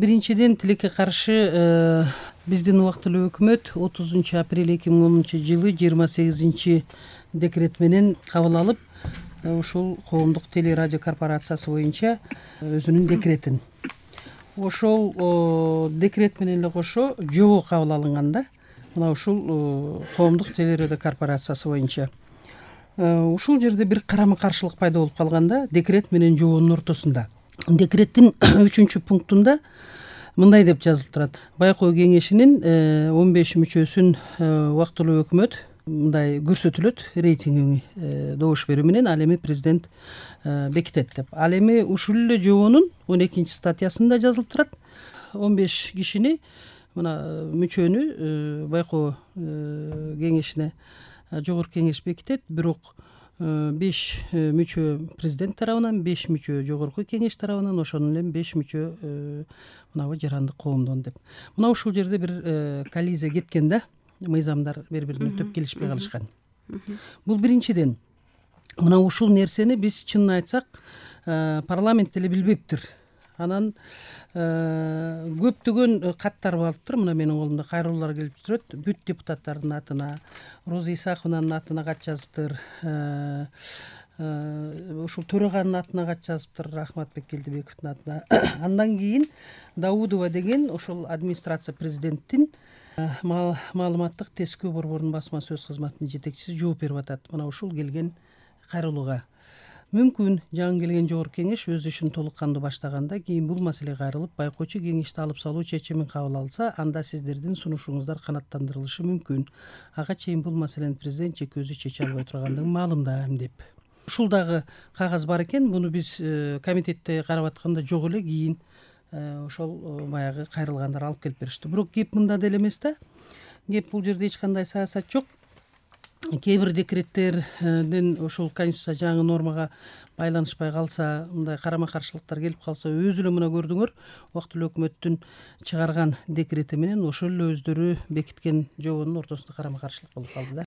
биринчиден тилекке каршы биздин убактылуу өкмөт 30 апрель 2010 жылы 28 декрет менен кабыл алып, ушул коомдук телерадио корпорациясы боюнча өзүнүн декретин. Ошол декрет менен эле кошо жобо кабыл алынган да. Мына ушул коомдук телерадио корпорациясы боюнча. Ушул жерде бир карама каршылык пайда болуп калган да, декрет менен жобонун ортосунда. Декреттин 3-пунктунда мындай деп жазылып турат. Байкоо кеңешинин 15 мүчөсүн убактылуу өкмөт мындай көрсөтүлөт, рейтингин добуш берүү менен ал эми президент бекитет деп. Ал эми ушул эле жобонун 12-статьясында жазылып турат. 15 кишини мына мүчөнү байкоо кеңешине жогорку кеңеш бекитет, бирок 5 мүчө президент тарабынан, 5 мүчө жогорку кеңеш тарабынан, ошондон эле 5 мүчө мынабы жарандык коомдон деп. Мына ушул жерде бир коллизия кеткен да, мыйзамдар бири-бирине төп келишпей калышкан. Бул биринчиден. Мына ушул нерсени биз чынын айтсак, парламент деле билбептир. Анан көптөгөн каттар барыптыр. Мына менин колумда кайрылуулар келип турат. Бүт депутаттардын атына, Роза Исахованын атына кат жазыптыр. Ушул төраганын атына кат жазыптыр, Рахматбек Келдибековдун атына. Андан кийин Даудова деген ошол администрация президенттин маалыматтык тескөө борборунун басма сөз кызматынын жетекчиси жооп берип атат. Мына ушул келген кайрылууга. Мүмкүн жаңы келген жогорку кеңеш өз ишин толук кандуу баштаганда кийин бул маселе кайрылып, байкоочу кеңешти алып салуу чечимин кабыл алса, анда сиздердин сунушуңуздар канааттандырылышы мүмкүн. Ага чейин бул маселени президент жеке өзү чече албай тургандыгын маалымдайм деп. Ушул дагы кагаз бар экен. Муну биз комитетте карап атканда жок эле, кийин ошол баягы кайрылгандар алып келип беришти. Бирок кеп мында деле эмес да. Кеп бул жерде эч кандай саясат жок. Кээ бир декреттерден ошол конституция жаңы нормага байланышпай калса, мындай карама каршылыктар келип калса, өзү эле мына көрдүңөр, убактылуу өкмөттүн чыгарган декрети менен ошол эле өздөрү бекиткен жобонун ортосунда карама каршылык болуп калды да.